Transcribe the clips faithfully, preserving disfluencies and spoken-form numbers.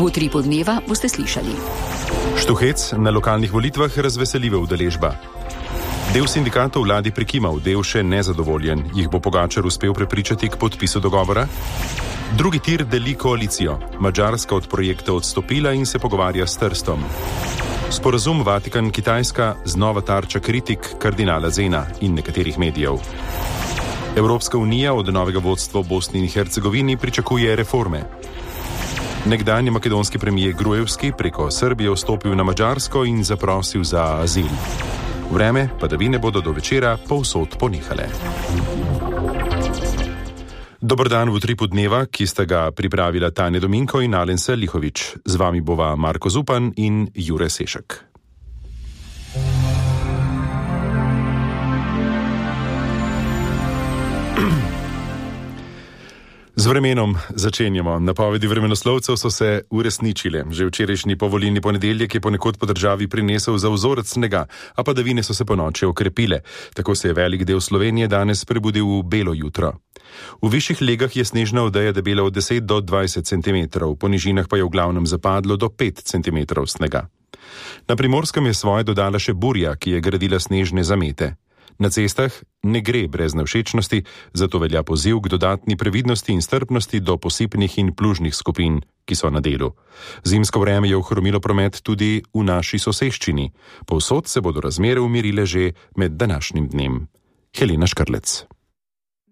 V utripu dneva boste slišali. Štuhec na lokalnih volitvah razveseljiva udeležba. Del sindikatov vladi prikimal, del še nezadovoljen. Jih bo Pogačar uspel prepričati k podpisu dogovora? Drugi tir deli koalicijo. Madžarska od projekta odstopila in se pogovarja s Trstom. Sporazum Vatikan-Kitajska znova tarča kritik kardinala Zena in nekaterih medijev. Evropska unija od novega vodstva v Bosni in Hercegovini pričakuje reforme. Nekdanji makedonski premijer Gruevski preko Srbije vstopil na Madžarsko in zaprosil za azil. Vreme, padavine bodo do večera povsod ponehale. Dober dan v utripu dneva, ki sta ga pripravila Tanja Dominko in Alensa Lihovič. Z vami bova Marko Zupan in Jure Sešek. Z vremenom začenjamo. Napovedi vremenoslovcev so se uresničile. Že včerajšnji povolilni ponedeljek je ponekod po državi prinesel za vzorec snega, a padavine so se ponoči okrepile. Tako se je velik del Slovenije danes prebudil v belo jutro. V višjih legah je snežna odeja debela od deset do dvajset centimetrov, po nižinah pa je v glavnem zapadlo do pet centimetrov snega. Na Primorskem je svoje dodala še burja, ki je gradila snežne zamete. Na cestah ne gre brez nevšečnosti, zato velja poziv k dodatni previdnosti in strpnosti do posipnih in plužnih skupin, ki so na delu. Zimsko vreme je ohromilo promet tudi v naši soseščini. Povsod se bodo razmere umirile že med današnjim dnem. Helena Škrlec.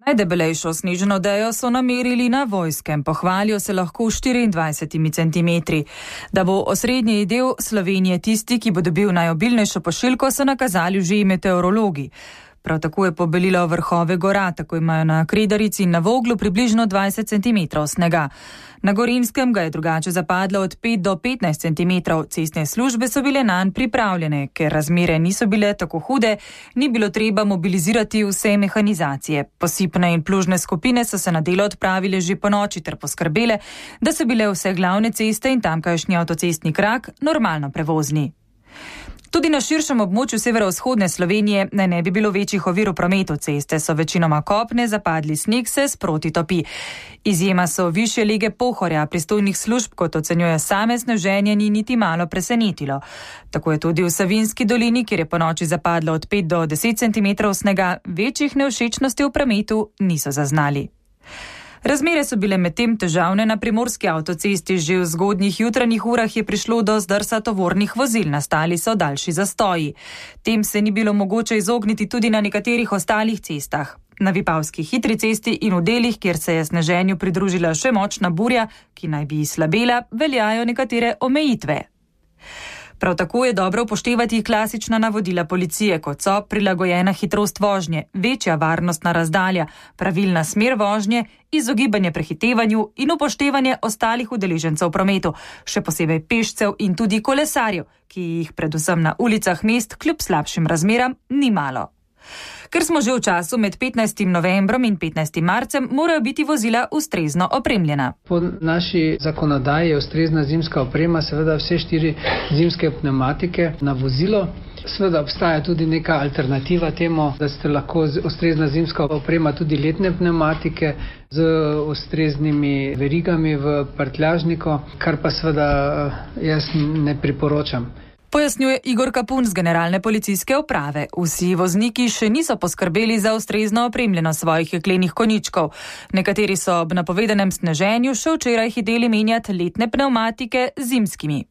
Najdebelejšo snežno odejo so namerili na Vojskem, pohvalijo se lahko štiriindvajset centimetri. Da bo osrednji del Slovenije tisti, ki bo dobil najobilnejšo pošiljko, so nakazali že meteorologi. Prav tako je pobelilo vrhove gora, tako imajo na Kredarici in na Voglu približno dvajset centimetrov snega. Na Gorenjskem ga je drugače zapadlo od pet do petnajst centimetrov. Cestne službe so bile nanj pripravljene, ker razmere niso bile tako hude, ni bilo treba mobilizirati vse mehanizacije. Posipne in plužne skupine so se na delo odpravile že po noči ter poskrbele, da so bile vse glavne ceste in tamkajšnji avtocestni krak normalno prevozni. Tudi na širšem območju severovzhodne Slovenije naj ne bi bilo večjih ovir v prometu. Ceste so večinoma kopne, zapadli sneg se sproti topi. Izjema so višje lege Pohorja, pristojnih služb, kot ocenjuje same sneženje, ni niti malo presenetilo. Tako je tudi v Savinjski dolini, kjer je po noči zapadlo od pet do deset centimetrov snega, večjih nevšečnosti v prometu niso zaznali. Razmere so bile medtem težavne na primorski avtocesti. Že v zgodnjih jutranjih urah je prišlo do zdrsa tovornih vozil, nastali so daljši zastoji. Tem se ni bilo mogoče izogniti tudi na nekaterih ostalih cestah. Na Vipavski hitri cesti in v delih, kjer se je sneženju pridružila še močna burja, ki naj bi slabela, veljajo nekatere omejitve. Prav tako je dobro upoštevati klasična navodila policije, kot so prilagojena hitrost vožnje, večja varnostna razdalja, pravilna smer vožnje, izogibanje prehitevanju in upoštevanje ostalih udeležencev v prometu, še posebej pešcev in tudi kolesarjev, ki jih predvsem na ulicah mest kljub slabšim razmeram ni malo. Ker smo že v času med petnajstim novembrom in petnajstim marcem, morajo biti vozila ustrezno opremljena. Po naši zakonodaji je ustrezna zimska oprema, seveda vse štiri zimske pnevmatike na vozilo. Seveda obstaja tudi neka alternativa temu, da ste lahko ustrezna zimska oprema tudi letne pnevmatike z ustreznimi verigami v prtljažniku, kar pa seveda jaz ne priporočam. Pojasnjuje Igor Kapun z Generalne policijske uprave. Vsi vozniki še niso poskrbeli za ustrezno opremljenost svojih jeklenih konjičkov. Nekateri so ob napovedanem sneženju še včeraj hiteli menjati letne pnevmatike z zimskimi.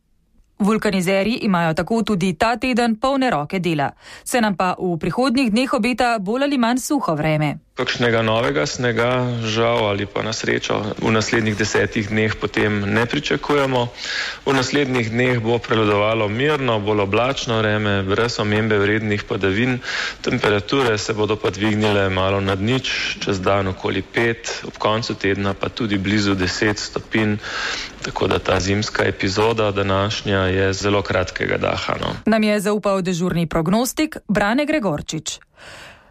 Vulkanizerji imajo tako tudi ta teden polne roke dela. Se nam pa v prihodnjih dneh obeta bolj ali manj suho vreme. Kakšnega novega snega, žal ali pa na srečo, v naslednjih desetih dneh potem ne pričakujemo. V naslednjih dneh bo prevladovalo mirno, bolj oblačno vreme, brez omembe vrednih padavin. Temperature se bodo pa dvignile malo nad nič, čez dan okoli pet, ob koncu tedna pa tudi blizu deset stopinj. Tako da ta zimska epizoda današnja je zelo kratkega daha. No. Nam je zaupal dežurni prognostik Brane Gregorčič.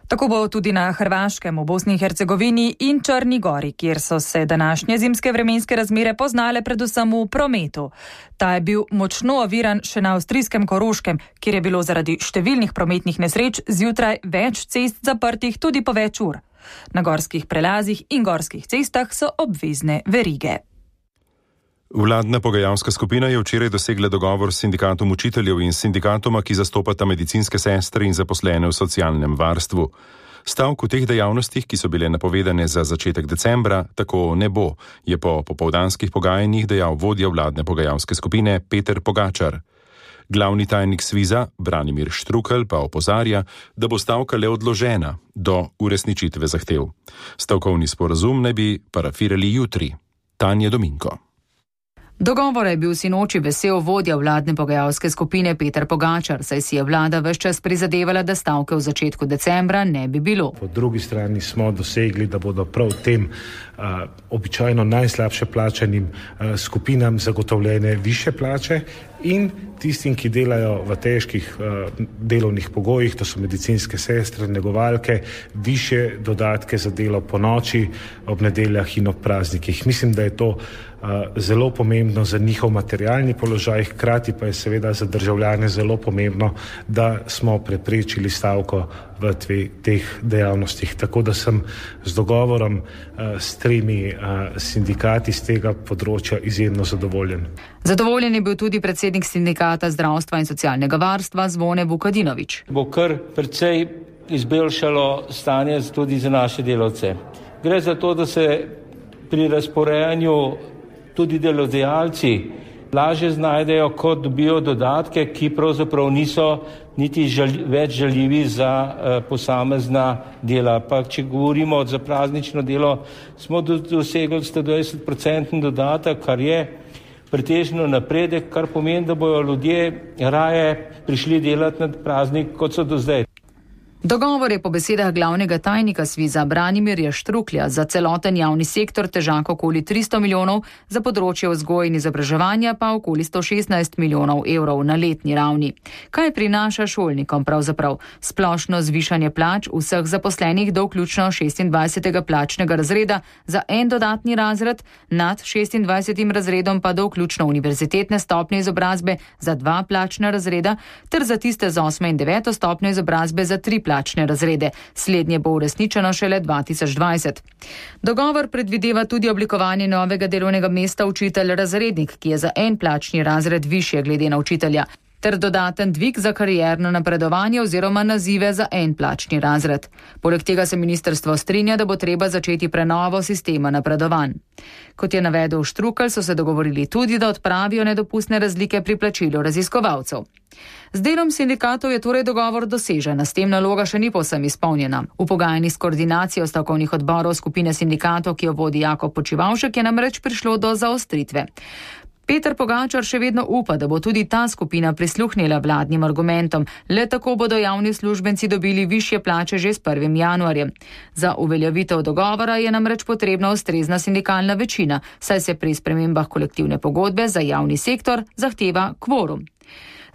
Tako bo tudi na Hrvaškem, v Bosni in Hercegovini in Črni gori, kjer so se današnje zimske vremenske razmere poznale predvsem v prometu. Ta je bil močno oviran še na avstrijskem Koroškem, kjer je bilo zaradi številnih prometnih nesreč zjutraj več cest zaprtih tudi po več ur. Na gorskih prelazih in gorskih cestah so obvezne verige. Vladna pogajalska skupina je včeraj dosegla dogovor s sindikatom učiteljev in sindikatoma, ki zastopata medicinske sestre in zaposlene v socialnem varstvu. Stavk v teh dejavnostih, ki so bile napovedane za začetek decembra, tako ne bo, je po popoldanskih pogajanjih dejal vodja vladne pogajalske skupine Peter Pogačar. Glavni tajnik Sviza, Branimir Štrukelj, pa opozarja, da bo stavka le odložena do uresničitve zahtev. Stavkovni sporazum naj bi parafirali jutri. Tanja Dominko. Dogovora je bil sinoči vesel vodja vladne pogajalske skupine Peter Pogačar, saj si je vlada ves čas prizadevala, da stavke v začetku decembra ne bi bilo. Po drugi strani smo dosegli, da bodo prav tem uh, običajno najslabše plačanim uh, skupinam zagotovljene više plače in tistim, ki delajo v težkih uh, delovnih pogojih, to so medicinske sestre, negovalke, više dodatke za delo po noči, ob nedeljah in ob praznikih. Mislim, da je to Uh, zelo pomembno za njihov materialni položaj, hkrati pa je seveda za državljane zelo pomembno, da smo preprečili stavko v tve, teh dejavnostih. Tako da sem z dogovorom uh, s tremi uh, sindikati z tega področja izjemno zadovoljen. Zadovoljen je bil tudi predsednik sindikata zdravstva in socialnega varstva Zvone Vukadinovič. Bo kar precej izboljšalo stanje tudi za naše delavce. Gre za to, da se pri razporejanju tudi delodajalci lažje znajdejo, kot dobijo dodatke, ki pravzaprav niso niti žali, več žaljivi za uh, posamezna dela. Pa če govorimo za praznično delo, smo dosegli sto dvajset procentni dodatek, kar je pretežno napredek, kar pomeni, da bojo ljudje raje prišli delati na praznik, kot so do zdaj. Dogovor je po besedah glavnega tajnika Sviza Branimirja Štruklja za celoten javni sektor težak okoli tristo milijonov, za področje vzgoje in izobraževanja pa okoli sto šestnajst milijonov evrov na letni ravni. Kaj prinaša šolnikom pravzaprav? Splošno zvišanje plač vseh zaposlenih do vključno šestindvajsetega plačnega razreda za en dodatni razred, nad šestindvajsetim razredom pa do vključno univerzitetne stopnje izobrazbe za dva plačna razreda, ter za tiste z osme in deveto stopnjo izobrazbe za tri plačne razrede. Slednje bo uresničeno šele dva tisoč dvajset. Dogovor predvideva tudi oblikovanje novega delovnega mesta učitelj razrednik, ki je za en plačni razred višje glede na učitelja, ter dodaten dvig za karierno napredovanje oziroma nazive za en plačni razred. Poleg tega se ministrstvo strinja, da bo treba začeti prenovo sistema napredovanj. Kot je navedel Štrukelj, so se dogovorili tudi, da odpravijo nedopustne razlike pri plačilu raziskovalcev. Z delom sindikatov je torej dogovor dosežen, s tem naloga še ni povsem izpolnjena. V pogajanjih s koordinacijo stavkovnih odborov skupine sindikatov, ki jo vodi Jakob Počivavšek, je namreč prišlo do zaostritve. Peter Pogačar še vedno upa, da bo tudi ta skupina prisluhnila vladnim argumentom, le tako bodo javni uslužbenci dobili višje plače že s prvim januarjem. Za uveljavitev dogovora je namreč potrebna ustrezna sindikalna večina, saj se pri spremembah kolektivne pogodbe za javni sektor zahteva kvorum.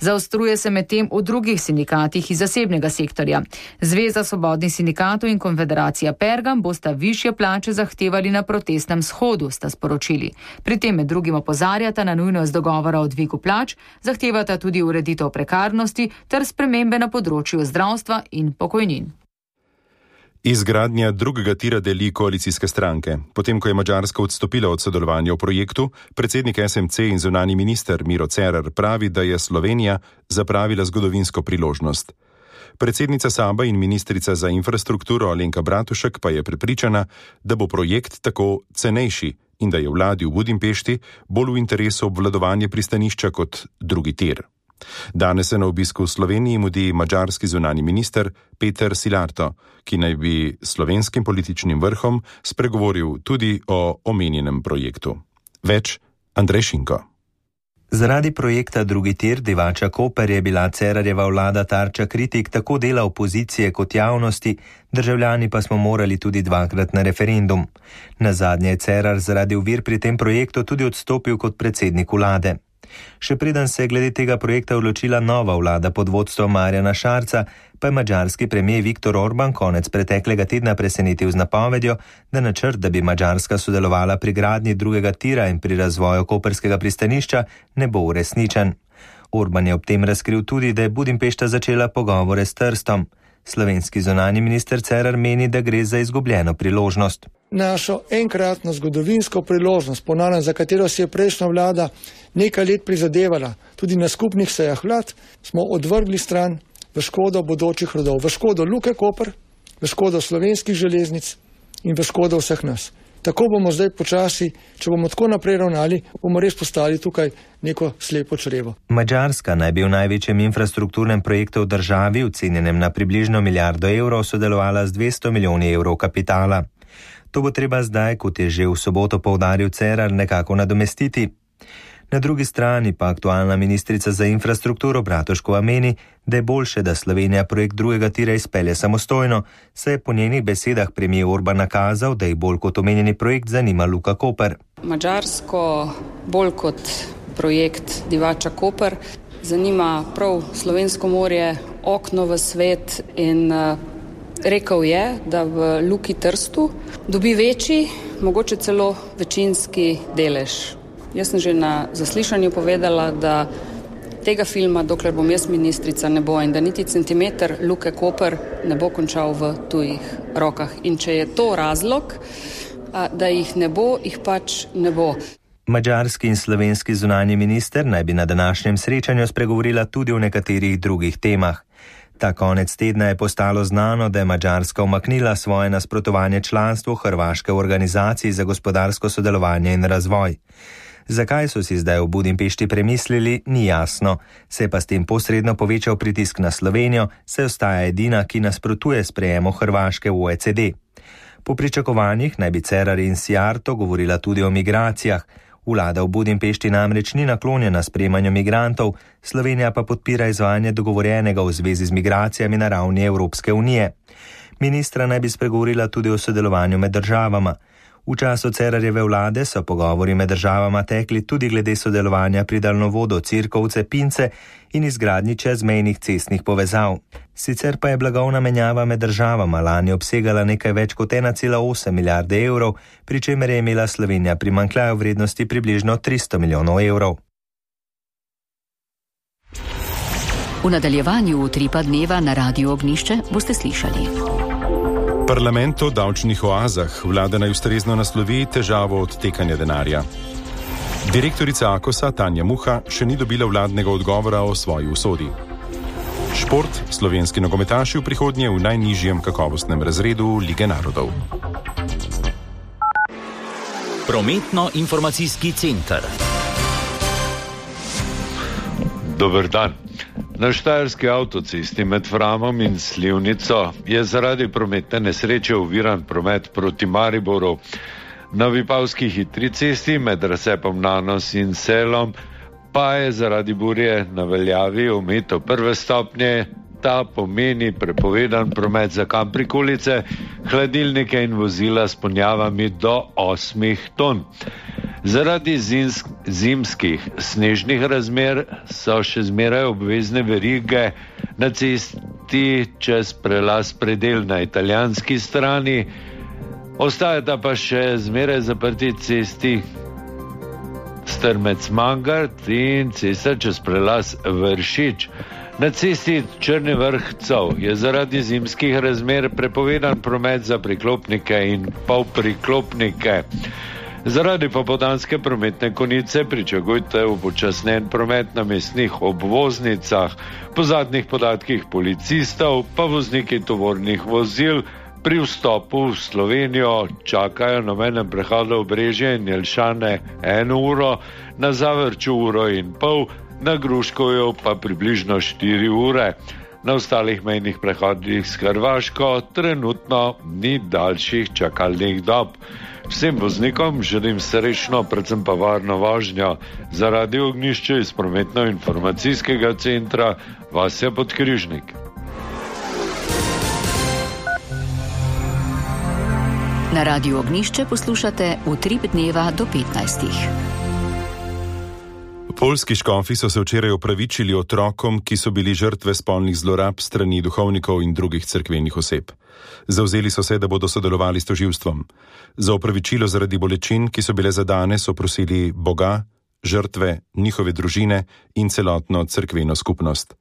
Zaostruje se medtem v drugih sindikatih iz zasebnega sektorja. Zveza svobodnih sindikatov in konfederacija Pergam bosta višje plače zahtevali na protestnem shodu, sta sporočili. Pri tem med drugim opozarjata na nujnost dogovora o dvigu plač, zahtevata tudi ureditev prekarnosti ter spremembe na področju zdravstva in pokojnin. Izgradnja drugega tira deli koalicijske stranke. Potem, ko je Madžarska odstopila od sodelovanja v projektu, predsednik S M C in zunani minister Miro Cerar pravi, da je Slovenija zapravila zgodovinsko priložnost. Predsednica Saba in ministrica za infrastrukturo Alenka Bratušek pa je prepričana, da bo projekt tako cenejši in da je vladi v Budimpešti bolj v interesu obvladovanje pristanišča kot drugi tir. Danes se na obisku v Sloveniji mudi madžarski zunani minister Peter Silarto, ki naj bi slovenskim političnim vrhom spregovoril tudi o omenjenem projektu. Več Andrej Šinko. Zaradi projekta drugi tir Divača-Koper je bila Cerarjeva vlada tarča kritik tako dela opozicije kot javnosti, državljani pa smo morali tudi dvakrat na referendum. Nazadnje je Cerar zaradi ovir pri tem projektu tudi odstopil kot predsednik vlade. Še preden se je glede tega projekta odločila nova vlada pod vodstvom Marjana Šarca, pa je madžarski premijer Viktor Orban konec preteklega tedna presenetil z napovedjo, da načrt, da bi Madžarska sodelovala pri gradnji drugega tira in pri razvoju koperskega pristanišča, ne bo uresničen. Orban je ob tem razkril tudi, da je Budimpešta začela pogovore s Trstom. Slovenski zunanji minister Cerar meni, da gre za izgubljeno priložnost. našo enkratno zgodovinsko priložnost, ponavljam, za katero si je prejšnja vlada nekaj let prizadevala, tudi na skupnih sejah vlad, smo odvrgli stran v škodo bodočih rodov, v škodo Luke Koper, v škodo slovenskih železnic in v škodo vseh nas. Tako bomo zdaj počasi, če bomo tako naprej ravnali, bomo res postali tukaj neko slepo črevo. Madžarska naj bi v največjem infrastrukturnem projektu v državi, ocenjenem na približno milijardo evrov, sodelovala z dvesto milijoni evrov kapitala. To bo treba zdaj, kot je že v soboto poudaril Cerar, nekako nadomestiti. Na drugi strani pa aktualna ministrica za infrastrukturo Bratuškova meni, da je boljše, da Slovenija projekt drugega tira izpelje samostojno, saj je po njenih besedah premijer Orban nakazal, da jih bolj kot omenjeni projekt zanima Luka Koper. Madžarsko bolj kot projekt Divača Koper zanima prav slovensko morje, okno v svet in uh, rekel je, da v Luki Trstu dobi večji, mogoče celo večinski delež. Jaz sem že na zaslišanju povedala, da tega filma, dokler bom jaz ministrica, ne bo in da niti centimeter Luke Koper ne bo končal v tujih rokah. In če je to razlog, da jih ne bo, jih pač ne bo. Madžarski in slovenski zunanji minister naj bi na današnjem srečanju spregovorila tudi o nekaterih drugih temah. Ta konec tedna je postalo znano, da je Madžarska umaknila svoje nasprotovanje članstvu Hrvaške v organizaciji za gospodarsko sodelovanje in razvoj. Zakaj so si zdaj v Budimpešti premislili, ni jasno, se je pa s tem posredno povečal pritisk na Slovenijo, saj ostaja edina, ki nasprotuje sprejemu Hrvaške v O E C D. Po pričakovanjih naj bi Cerar in Sijarto govorila tudi o migracijah. Vlada v Budimpešti namreč ni naklonjena sprejemanju migrantov, Slovenija pa podpira izvajanje dogovorjenega v zvezi z migracijami na ravni Evropske unije. Ministra naj bi spregovorila tudi o sodelovanju med državama. V času Cerarjeve vlade so pogovori med državama tekli tudi glede sodelovanja pri daljnovodu Cirkovce-Pince in izgradnji čezmejnih cestnih povezav. Sicer pa je blagovna menjava med državama lani obsegala nekaj več kot ena cela osem milijarde evrov, pri čemer je imela Slovenija primanjkljaj v vrednosti približno tristo milijonov evrov. V nadaljevanju utripa dneva na Radiu Ognjišče boste slišali. Parlament o davčnih oazah. Vlada naj ustrezno naslovi težavo odtekanja denarja. Direktorica Akosa Tanja Muha še ni dobila vladnega odgovora o svoji usodi. Šport. Slovenski nogometaši v prihodnje v najnižjem kakovostnem razredu Lige narodov. Prometno-informacijski center. Dober dan. Na štajerski avtocesti med Framom in Slivnico je zaradi prometne nesreče oviran promet proti Mariboru. Na Vipavski hitri cesti med razcepom Nanos in Selom pa je zaradi burje na veljavi omejitev prve stopnje. Ta pomeni prepovedan promet za kamprikolice, hladilnike in vozila s ponjavami do osmih ton. Zaradi zimsk, zimskih snežnih razmer so še zmeraj obvezne verige na cesti čez prelaz Predel na italijanski strani. Ostajata pa še zmeraj zaprti cesti Strmec-Mangart in cesta čez prelaz Vršič. Na cesti Črni vrh-Cov je zaradi zimskih razmer prepovedan promet za priklopnike in polpriklopnike. Zaradi popoldanske prometne konice pričakujte upočasnen promet na mestnih obvoznicah. Po zadnjih podatkih policistov pa vozniki tovornih vozil pri vstopu v Slovenijo čakajo na mejnem prehodu Obrežje in Jelšane eno uro, na Zavrču uro in pol, na Gruškovju pa približno štiri ure. Na ostalih mejnih prehodih s Hrvaško trenutno ni daljših čakalnih dob. Vsem voznikom želim srečno, predvsem pa varno vožnjo. Za Radio Ognjišče iz prometno-informacijskega centra Vasja Podkrižnik. Na Radiu Ognjišče poslušate Utrip dneva do petnajstih. Poljski škofi so se včeraj opravičili otrokom, ki so bili žrtve spolnih zlorab strani duhovnikov in drugih cerkvenih oseb. Zavzeli so se, da bodo sodelovali s tožilstvom. Za opravičilo zaradi bolečin, ki so bile zadane, so prosili Boga, žrtve, njihove družine in celotno cerkveno skupnost.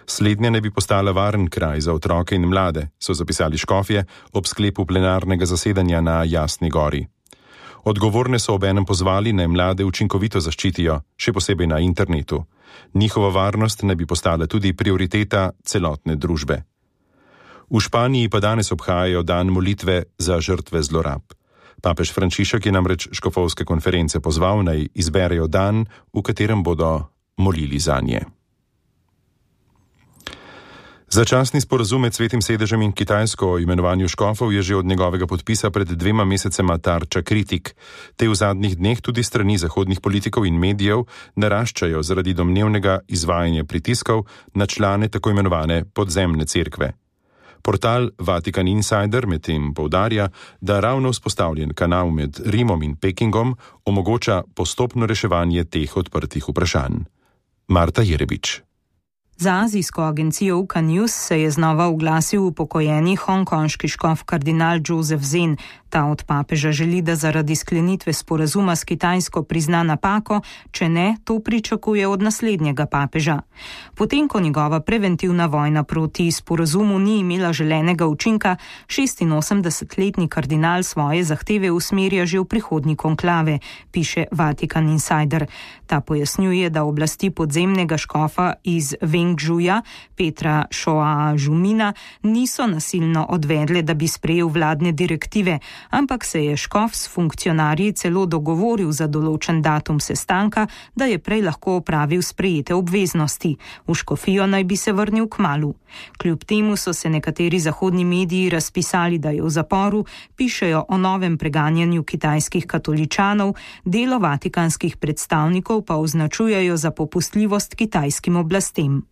Slednja ne bi postala varen kraj za otroke in mlade, so zapisali škofje ob sklepu plenarnega zasedanja na Jasni gori. Odgovorne so obenem pozvali, naj mlade učinkovito zaščitijo, še posebej na internetu. Njihova varnost ne bi postala tudi prioriteta celotne družbe. V Španiji pa danes obhajajo dan molitve za žrtve zlorab. Papež Frančišek je namreč škofovske konference pozval, naj izberejo dan, v katerem bodo molili zanje. Začasni sporazum med Svetim sedežem in Kitajsko o imenovanju škofov je že od njegovega podpisa pred dvema mesecema tarča kritik. Te v zadnjih dneh tudi strani zahodnih politikov in medijev naraščajo zaradi domnevnega izvajanja pritiskov na člane tako imenovane podzemne cerkve. Portal Vatikan Insider medtem poudarja, da ravno vzpostavljen kanal med Rimom in Pekingom omogoča postopno reševanje teh odprtih vprašanj. Marta Jerebič. Za azijsko agencijo U K News se je znova oglasil upokojeni hongkonški škof kardinal Joseph Zen. Ta od papeža želi, da zaradi sklenitve sporazuma s Kitajsko prizna napako, če ne, to pričakuje od naslednjega papeža. Potem, ko njegova preventivna vojna proti sporazumu ni imela želenega učinka, šestinosemdesetletni kardinal svoje zahteve usmerja že v prihodnji konklave, piše Vatikan Insider. Ta pojasnjuje, da oblasti podzemnega škofa iz Vengžuja, Petra Šoa Žumina, niso nasilno odvedle, da bi sprejel vladne direktive, ampak se je škof s funkcionarji celo dogovoril za določen datum sestanka, da je prej lahko opravil sprejete obveznosti. V škofijo naj bi se vrnil kmalu. Kljub temu so se nekateri zahodni mediji razpisali, da je v zaporu, pišejo o novem preganjanju kitajskih katoličanov, delo vatikanskih predstavnikov pa označujejo za popustljivost kitajskim oblastem.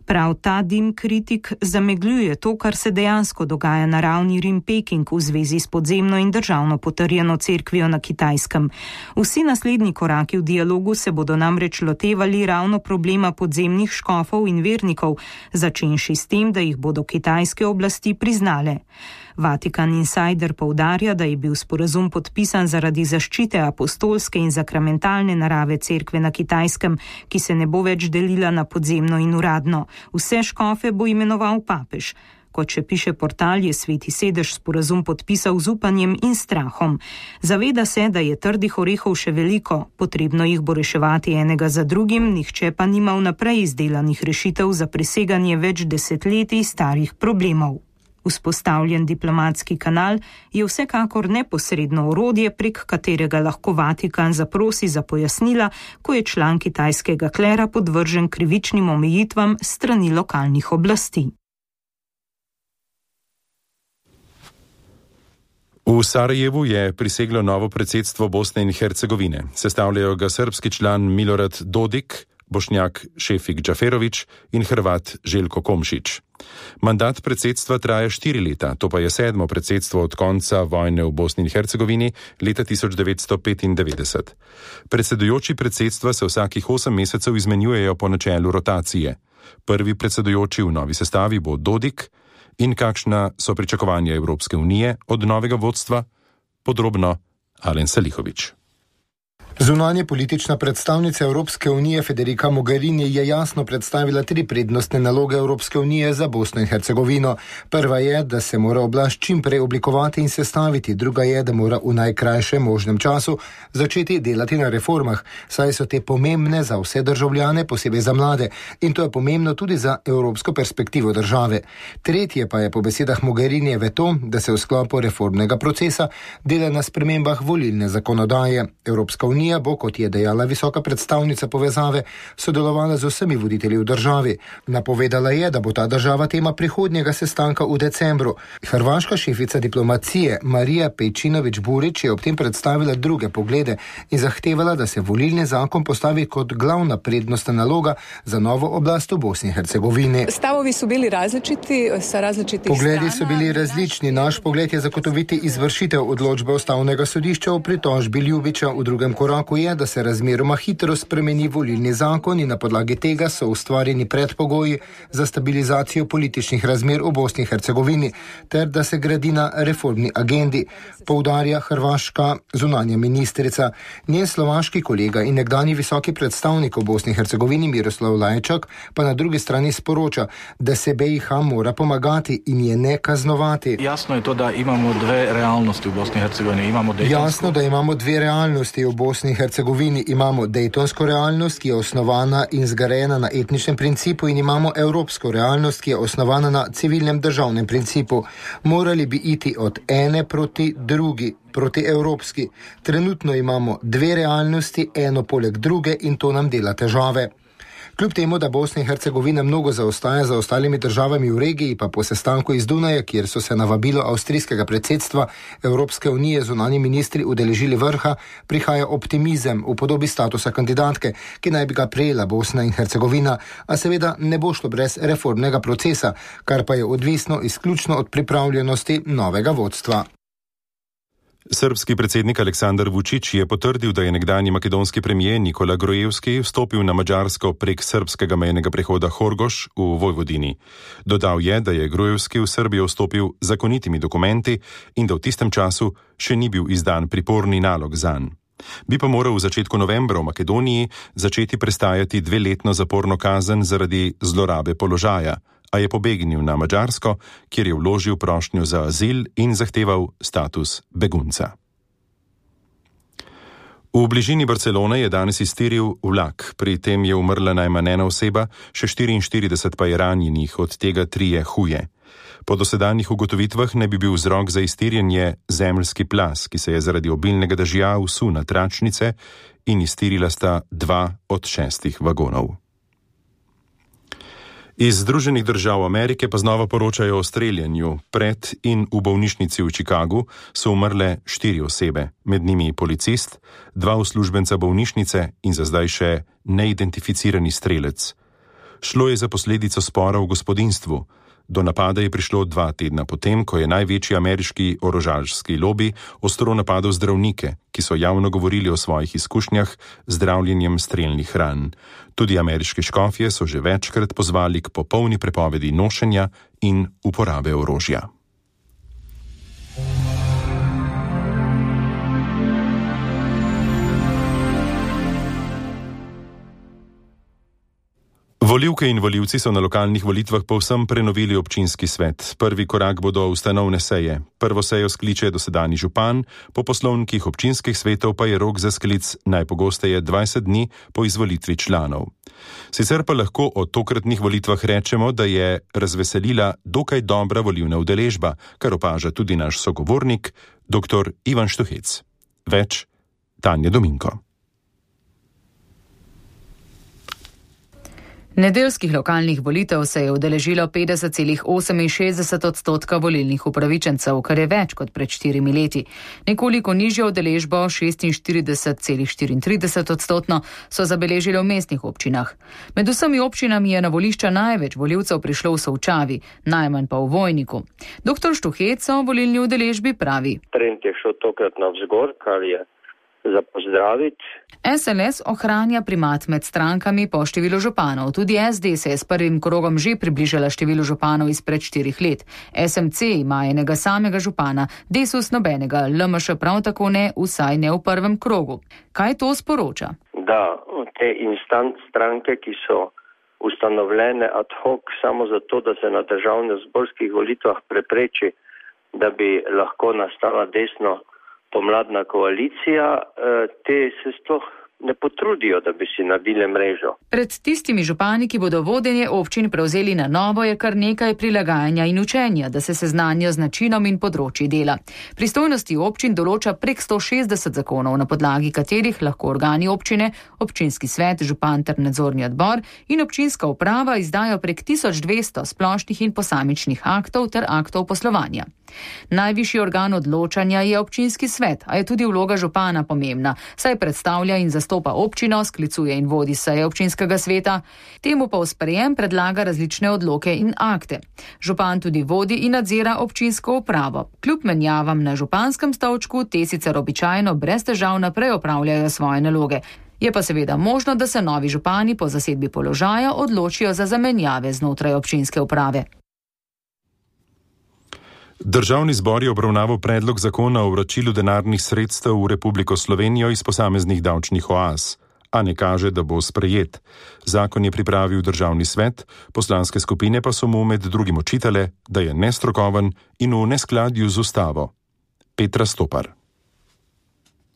Prav ta dim kritik zamegljuje to, kar se dejansko dogaja na ravni Rim-Peking v zvezi s podzemno in državno potrjeno cerkvijo na Kitajskem. Vsi naslednji koraki v dialogu se bodo namreč lotevali ravno problema podzemnih škofov in vernikov, začenši s tem, da jih bodo kitajske oblasti priznale. Vatikan Insider poudarja, da je bil sporazum podpisan zaradi zaščite apostolske in sakramentalne narave cerkve na Kitajskem, ki se ne bo več delila na podzemno in uradno. Vse škofe bo imenoval papež. Kot še piše portal, je Sveti sedež sporazum podpisal z upanjem in strahom. Zaveda se, da je trdih orehov še veliko, potrebno jih bo reševati enega za drugim, nihče pa nima vnaprej izdelanih rešitev za preseganje več desetletij starih problemov. Vzpostavljen diplomatski kanal je vsekakor neposredno orodje, prek katerega lahko Vatikan zaprosi za pojasnila, ko je član kitajskega klera podvržen krivičnim omejitvam strani lokalnih oblasti. V Sarajevu je priseglo novo predsedstvo Bosne in Hercegovine. Sestavljajo ga srbski član Milorad Dodik, Bošnjak Šefik Džaferović in Hrvat Željko Komšić. Mandat predsedstva traja štiri leta, to pa je sedmo predsedstvo od konca vojne v Bosni in Hercegovini leta tisoč devetsto petindevetdeset. Predsedujoči predsedstva se vsakih osem mesecev izmenjujejo po načelu rotacije. Prvi predsedujoči v novi sestavi bo Dodik. In kakšna so pričakovanja Evropske unije od novega vodstva? Podrobno Alen Salihović. Zunanje politična predstavnica Evropske unije Federica Mogherini je jasno predstavila tri prednostne naloge Evropske unije za Bosno in Hercegovino. Prva je, da se mora oblast čim prej oblikovati in sestaviti, druga je, da mora v najkrajšem možnem času začeti delati na reformah, saj so te pomembne za vse državljane, posebej za mlade, in to je pomembno tudi za evropsko perspektivo države. Tretje pa je po besedah Mogherinijeve to, da se v sklopu reformnega procesa dela na spremembah volilne zakonodaje. Evropska unija bo, kot je dejala visoka predstavnica povezave, sodelovala z vsemi voditelji v državi. Napovedala je, da bo ta država tema prihodnjega sestanka v decembru. Hrvaška šefica diplomacije Marija Pejčinović-Burić je ob tem predstavila druge poglede in zahtevala, da se volilni zakon postavi kot glavna prednostna naloga za novo oblast v Bosni in Hercegovini. Stavovi so bili različiti, sa različitih strana. Pogledi so bili različni. Naš pogled je zagotoviti izvršitev odločbe Ustavnega sodišča o pritožbi Ljubića v drugem koraku koraku je, da se razmeroma hitro spremeni volilni zakon in na podlagi tega so ustvarjeni predpogoji za stabilizacijo političnih razmer v Bosni in Hercegovini, ter da se gradi na reformni agendi, poudarja hrvaška zunanja ministrica. Njen slovaški kolega in nekdanji visoki predstavnik v Bosni in Hercegovini Miroslav Lajčak pa na drugi strani sporoča, da se B I H mora pomagati in je ne kaznovati. Jasno je to, da imamo dve realnosti v Bosni in Hercegovini. Imamo Dejtonsko... Jasno, da imamo dve realnosti v Bosni in Hercegovini. Imamo Dejtonsko realnost, ki je osnovana in zgrajena na etničnem principu, in imamo evropsko realnost, ki je osnovana na civilnem državnem principu. Morali bi iti od ene proti drugi, proti evropski. Trenutno imamo dve realnosti, eno poleg druge, in to nam dela težave. Kljub temu, da Bosna in Hercegovina mnogo zaostaja za ostalimi državami v regiji, pa po sestanku iz Dunaja, kjer so se na vabilo avstrijskega predsedstva Evropske unije zunanji ministri udeležili vrha, prihaja optimizem v podobi statusa kandidatke, ki naj bi ga prejela Bosna in Hercegovina, a seveda ne bo šlo brez reformnega procesa, kar pa je odvisno izključno od pripravljenosti novega vodstva. Srbski predsednik Aleksandar Vučić je potrdil, da je nekdanji makedonski premijer Nikola Grojevski vstopil na Madžarsko prek srbskega mejnega prehoda Horgoš v Vojvodini. Dodal je, da je Grojevski v Srbijo vstopil zakonitimi dokumenti in da v tistem času še ni bil izdan priporni nalog zanj. Bi pa moral v začetku novembra v Makedoniji začeti prestajati dveletno zaporno kazen zaradi zlorabe položaja, a je pobegnil na Madžarsko, kjer je vložil prošnjo za azil in zahteval status begunca. V bližini Barcelone je danes iztiril vlak, pri tem je umrla najmanj ena oseba, še štiriinštirideset pa je ranjenih, od tega trije huje. Po dosedanjih ugotovitvah ne bi bil vzrok za iztirjenje zemeljski plaz, ki se je zaradi obilnega dežja vsul na tračnice in iztirila sta dva od šestih vagonov. Iz Združenih držav Amerike pa znova poročajo o streljanju. Pred in v bolnišnici v Chicagu so umrle štiri osebe, med njimi policist, dva uslužbenca bolnišnice in za zdaj še neidentificirani strelec. Šlo je za posledico spora v gospodinjstvu. Do napada je prišlo dva tedna potem, ko je največji ameriški orožarski lobi ostro napadel zdravnike, ki so javno govorili o svojih izkušnjah z zdravljenjem strelnih ran. Tudi ameriški škofje so že večkrat pozvali k popolni prepovedi nošenja in uporabe orožja. Volivke in volivci so na lokalnih volitvah povsem prenovili občinski svet. Prvi korak bodo ustanovne seje. Prvo sejo skliče dosedanji župan, po poslovnikih občinskih svetov pa je rok za sklic najpogosteje dvajset dni po izvolitvi članov. Sicer pa lahko o tokratnih volitvah rečemo, da je razveselila dokaj dobra volivna udeležba, kar opaža tudi naš sogovornik, dr. Ivan Štuhec. Več Tanja Dominko. Nedeljskih lokalnih volitev se je udeležilo petdeset celih oseminšestdeset odstotka volilnih upravičencev, kar je več kot pred štirimi leti. Nekoliko nižjo udeležbo, šestinštirideset celih štiriintrideset odstotno, so zabeležili v mestnih občinah. Med vsemi občinami je na volišča največ volivcev prišlo v Solčavi, najmanj pa v Vojniku. Doktor Štuhec o volilni udeležbi pravi. Trend je šel tokrat navzgor, kar je za pozdraviti. S L S ohranja primat med strankami po številu županov. Tudi S D se je s prvim krogom že približala številu županov izpred štirih let. S M C ima enega samega župana, Desus nobenega, L M Š prav tako ne, vsaj ne v prvem krogu. Kaj to sporoča? Da, te instant stranke, ki so ustanovljene ad hoc samo zato, da se na državno-zborskih volitvah prepreči, da bi lahko nastala desno pomladna koalicija, te se sploh ne potrudijo, da bi si naredili mrežo. Pred tistimi župani, ki bodo vodenje občin prevzeli na novo, je kar nekaj prilagajanja in učenja, da se seznanijo z načinom in področji dela. Pristojnosti občin določa prek sto šestdeset zakonov, na podlagi katerih lahko organi občine, občinski svet, župan ter nadzorni odbor in občinska uprava izdajo prek tisoč dvesto splošnih in posamičnih aktov ter aktov poslovanja. Najvišji organ odločanja je občinski svet, a je tudi vloga župana pomembna, saj predstavlja in zastopa občino, sklicuje in vodi seje občinskega sveta, temu pa v sprejem predlaga različne odloke in akte. Župan tudi vodi in nadzira občinsko upravo. Kljub menjavam na županskem stolčku, te sicer običajno brez težav naprej opravljajo svoje naloge. Je pa seveda možno, da se novi župani po zasedbi položaja odločijo za zamenjave znotraj občinske uprave. Državni zbor je obravnaval predlog zakona o vračilu denarnih sredstev v Republiko Slovenijo iz posameznih davčnih oaz, a ne kaže, da bo sprejet. Zakon je pripravil Državni svet, poslanske skupine pa so mu med drugim očitale, da je nestrokoven in v neskladju z ustavo. Petra Stopar.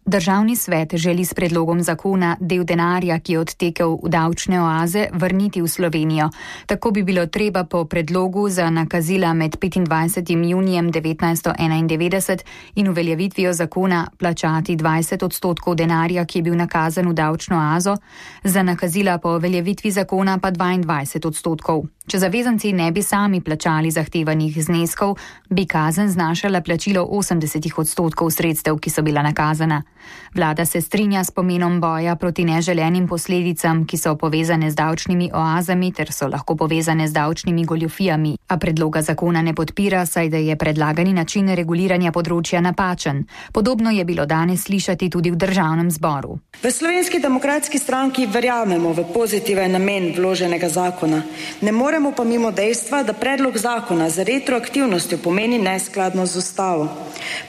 Državni svet želi s predlogom zakona del denarja, ki je odtekel v davčne oaze, vrniti v Slovenijo. Tako bi bilo treba po predlogu za nakazila med petindvajsetim junijem devetnajststo enaindevetdeset in uveljavitvijo zakona plačati dvajset odstotkov denarja, ki je bil nakazan v davčno oazo, za nakazila po uveljavitvi zakona pa dvaindvajset odstotkov. Če zavezanci ne bi sami plačali zahtevanih zneskov, bi kazen znašala plačilo osemdeset odstotkov sredstev, ki so bila nakazana. Vlada se strinja s pomenom boja proti neželenim posledicam, ki so povezane z davčnimi oazami ter so lahko povezane z davčnimi goljufijami, a predloga zakona ne podpira, saj da je predlagani način reguliranja področja napačen. Podobno je bilo danes slišati tudi v Državnem zboru. V Slovenski demokratski stranki verjamemo v pozitiven namen vloženega zakona. Ne moremo pa mimo dejstva, da predlog zakona za retroaktivnostjo pomeni neskladnost z ustavo.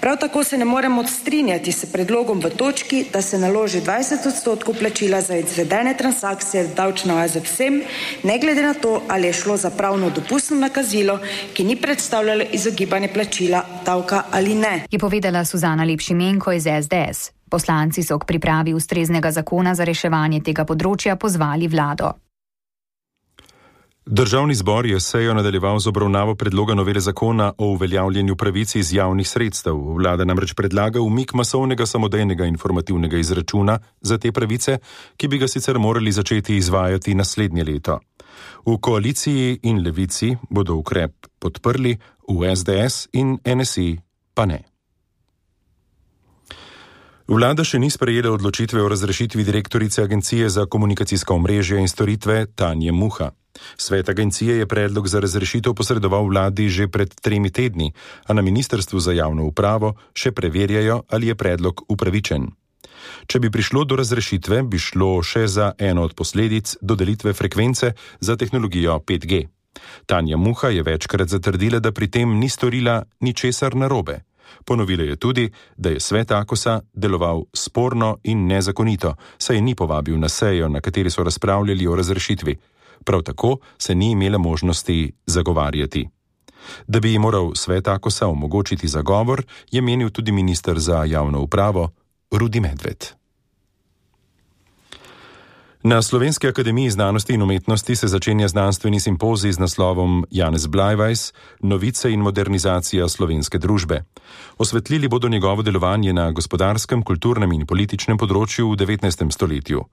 Prav tako se ne moremo strinjati s predlogom v točki, da se naloži dvajset odstotkov plačila za izvedene transakcije v davčne oaze vsem, ne glede na to, ali je šlo za pravno dopustno nakazilo, ki ni predstavljalo izogibanje plačila davka ali ne. Je povedala Suzana Lepšimenko iz S D S. Poslanci so k pripravi ustreznega zakona za reševanje tega področja pozvali vlado. Državni zbor je sejo nadaljeval z obravnavo predloga novele zakona o uveljavljanju pravic iz javnih sredstev. Vlada namreč predlaga umik masovnega samodejnega informativnega izračuna za te pravice, ki bi ga sicer morali začeti izvajati naslednje leto. V koaliciji in Levici bodo ukrep podprli, v S D S in N S I pa ne. Vlada še ni sprejela odločitve o razrešitvi direktorice Agencije za komunikacijska omrežja in storitve Tanje Muha. Svet agencije je predlog za razrešitev posredoval vladi že pred tremi tedni, a na Ministrstvu za javno upravo še preverjajo, ali je predlog upravičen. Če bi prišlo do razrešitve, bi šlo še za eno od posledic dodelitve frekvence za tehnologijo pet G. Tanja Muha je večkrat zatrdila, da pri tem ni storila ničesar narobe. Ponovila je tudi, da je svet Akosa deloval sporno in nezakonito, saj ni povabil na sejo, na kateri so razpravljali o razrešitvi. Prav tako se ni imela možnosti zagovarjati. Da bi ji moral svet Akosa omogočiti zagovor, je menil tudi minister za javno upravo Rudi Medved. Na Slovenski akademiji znanosti in umetnosti se začenja znanstveni simpozij z naslovom Janez Blajvajs, novice in modernizacija slovenske družbe. Osvetlili bodo njegovo delovanje na gospodarskem, kulturnem in političnem področju v devetnajstem stoletju.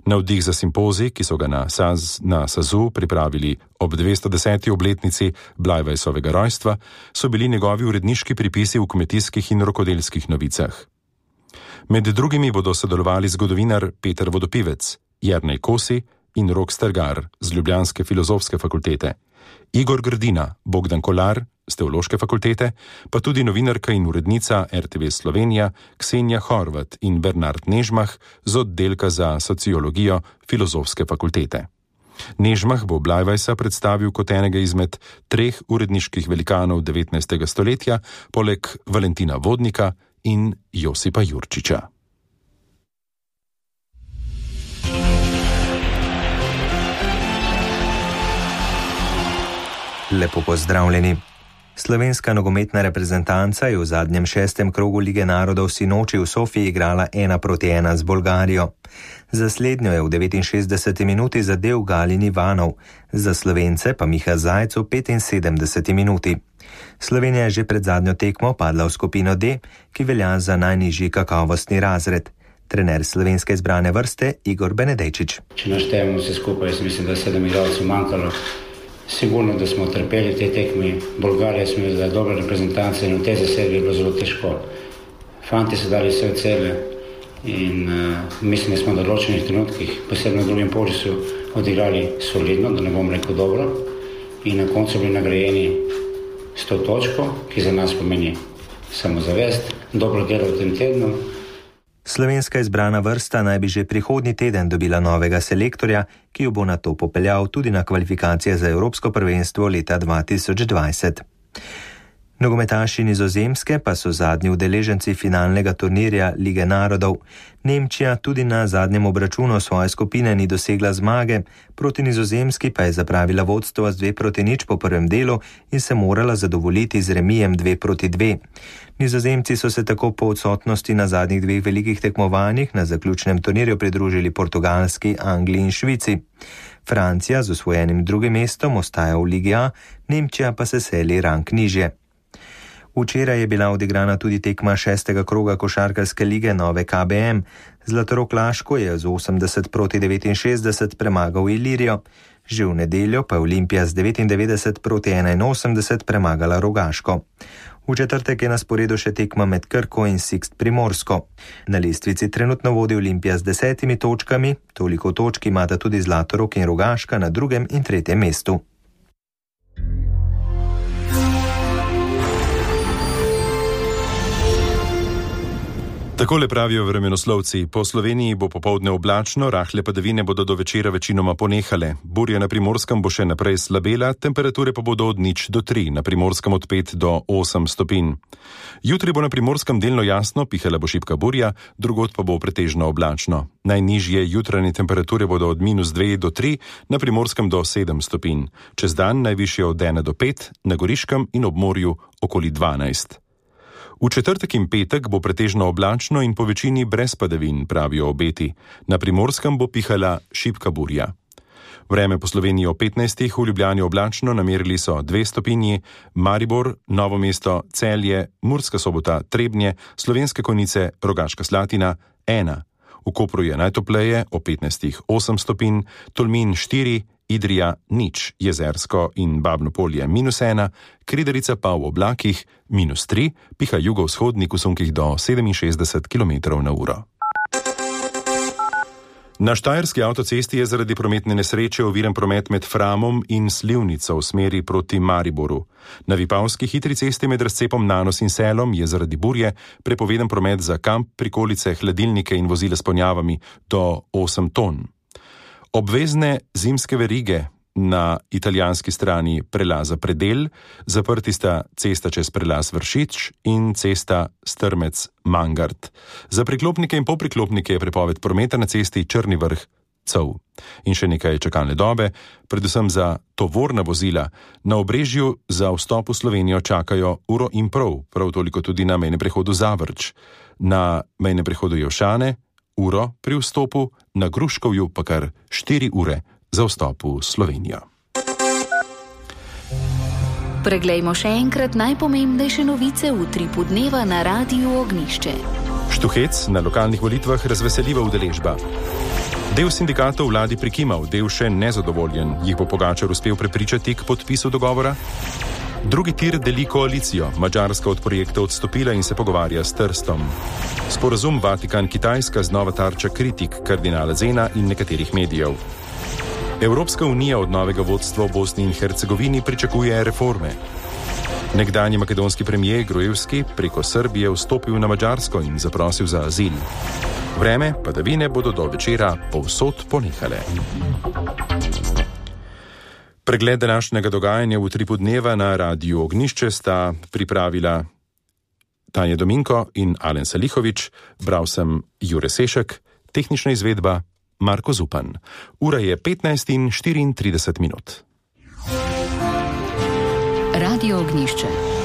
Navdih za simpozij, ki so ga na, Saz, na Sazu pripravili ob dvesto deseti obletnici Blajvajsovega rojstva, so bili njegovi uredniški pripisi v kmetijskih in rokodelskih novicah. Med drugimi bodo sodelovali zgodovinar Peter Vodopivec, Jernej Kosi in Rok Strgar z Ljubljanske filozofske fakultete, Igor Grdina, Bogdan Kolar z Teološke fakultete, pa tudi novinarka in urednica R T V Slovenija Ksenija Horvat in Bernard Nežmah z oddelka za sociologijo Filozofske fakultete. Nežmah bo Blajvajsa predstavil kot enega izmed treh uredniških velikanov devetnajstega stoletja, poleg Valentina Vodnika in Josipa Jurčiča. Lepo pozdravljeni. Slovenska nogometna reprezentanca je v zadnjem šestem krogu Lige narodov sinoči v Sofiji igrala ena proti ena z Bolgarijo. Za slednjo je v devetinšestdeseti minuti zadel Galin Ivanov, za Slovence pa Miha Zajc v petinsedemdeseti minuti. Slovenija je že pred zadnjo tekmo padla v skupino D, ki velja za najnižji kakovostni razred. Trener slovenske izbrane vrste Igor Benedejčič. Če naštejemo vse skupaj, jaz mislim, da je sedem igralcev manjkalo. Sigurno, da smo trpeli te tekme. Bolgarija smo imeli dobre reprezentance in v tej zasedbi je bilo zelo težko. Fanti so dali vse od sebe in uh, mislim, da smo v določenih trenutkih, posebno v drugem polčasu, odigrali solidno, da ne bom rekel dobro, in na koncu bili nagrajeni s to točko, ki za nas pomeni samozavest, dobro delo v tem tednu. Slovenska izbrana vrsta naj bi že prihodnji teden dobila novega selektorja, ki jo bo nato popeljal tudi na kvalifikacije za Evropsko prvenstvo leta dva tisoč dvajset. Nogometaši Nizozemske pa so zadnji udeleženci finalnega turnirja Lige narodov. Nemčija tudi na zadnjem obračunu svoje skupine ni dosegla zmage, proti Nizozemski pa je zapravila vodstvo z dve proti nič po prvem delu in se morala zadovoljiti z remijem dve proti dve. Nizozemci so se tako po odsotnosti na zadnjih dveh velikih tekmovanjih na zaključnem turnirju pridružili Portugalski, Angliji in Švici. Francija z osvojenim drugim mestom ostaja v Ligi A, Nemčija pa se seli rang nižje. Včeraj je bila odigrana tudi tekma šestega kroga košarkarske lige Nove K B M. Zlatorog Laško je z osemdeset proti devetinšestdeset premagal Ilirijo. Že v nedeljo pa je Olimpija z devetindevetdeset proti enainosemdeset premagala Rogaško. V četrtek je na sporedu še tekma med Krko in Sixt Primorsko. Na lestvici trenutno vodi Olimpija z desetimi točkami, toliko točk imata tudi Zlatorog in Rogaška na drugem in tretjem mestu. Takole pravijo vremenoslovci. Po Sloveniji bo popoldne oblačno, rahle padavine bodo do večera večinoma ponehale. Burja na Primorskem bo še naprej slabela, temperature pa bodo od nič do tri, na Primorskem od pet do osem stopinj. Jutri bo na Primorskem delno jasno, pihala bo šibka burja, drugod pa bo pretežno oblačno. Najnižje jutranje temperature bodo od minus dve do tri, na Primorskem do sedem stopinj. Čez dan najvišje od ena do pet, na Goriškem in ob morju okoli dvanajst. V četrtek in petek bo pretežno oblačno in po večini brez padavin, pravijo obeti. Na Primorskem bo pihala šibka burja. Vreme po Sloveniji o petnajstih, v Ljubljani oblačno, namerili so dve stopinji, Maribor, Novo mesto, Celje, Murska Sobota, Trebnje, Slovenske Konjice, Rogaška Slatina, ena. V Kopru je najtopleje, o petnajstih osem stopinj, Tolmin štiri, Idrija nič, Jezersko in Babno Polje minus ena, Kridarica pa v oblakih minus tri, piha jugovzhodnik v sunkih do sedeminšestdeset kilometrov na uro. Na Štajerski avtocesti je zaradi prometne nesreče oviran promet med Framom in Slivnico v smeri proti Mariboru. Na Vipavski hitri cesti med razcepom Nanos in Selom je zaradi burje prepovedan promet za kamp, prikolice, hladilnike in vozila s ponjavami do osem ton. Obvezne zimske verige na italijanski strani prelaza Predel, zaprti sta cesta čez prelaz Vršič in cesta Strmec-Mangart. Za priklopnike in popriklopnike je prepoved prometa na cesti Črni Vrh-Cov. In še nekaj čakalne dobe, predvsem za tovorna vozila. Na Obrežju za vstop v Slovenijo čakajo uro in pol, prav toliko tudi na mejnem prehodu Zavrč. Na mejnem prehodu Jevšane uro pri vstopu, na Gruškovju pa kar štiri ure za vstop v Slovenijo. Preglejmo še enkrat najpomembnejše novice v utripu dneva na Radiu Ognišče. Štuhec na lokalnih volitvah razveseljiva udeležba. Del sindikatov vladi prikimal, del še nezadovoljen. Jih bo Pogačar uspel prepričati k podpisu dogovora? Drugi tir deli koalicijo. Madžarska od projekta odstopila in se pogovarja s Trstom. Sporazum Vatikan-Kitajska znova tarča kritik kardinala Zena in nekaterih medijev. Evropska unija od novega vodstva v Bosni in Hercegovini pričakuje reforme. Nekdanji makedonski premijer Gruevski preko Srbije vstopil na Madžarsko in zaprosil za azil. Vreme padavine bodo do večera povsod ponehale. Pregled današnjega dogajanja v utripu dneva na Radiu Ognišče sta pripravila Tanja Dominko in Alen Salihovič, bral sem Jure Sešek, tehnična izvedba Marko Zupan. Ura je petnajst in štiriintrideset minut. Radio Ognišče.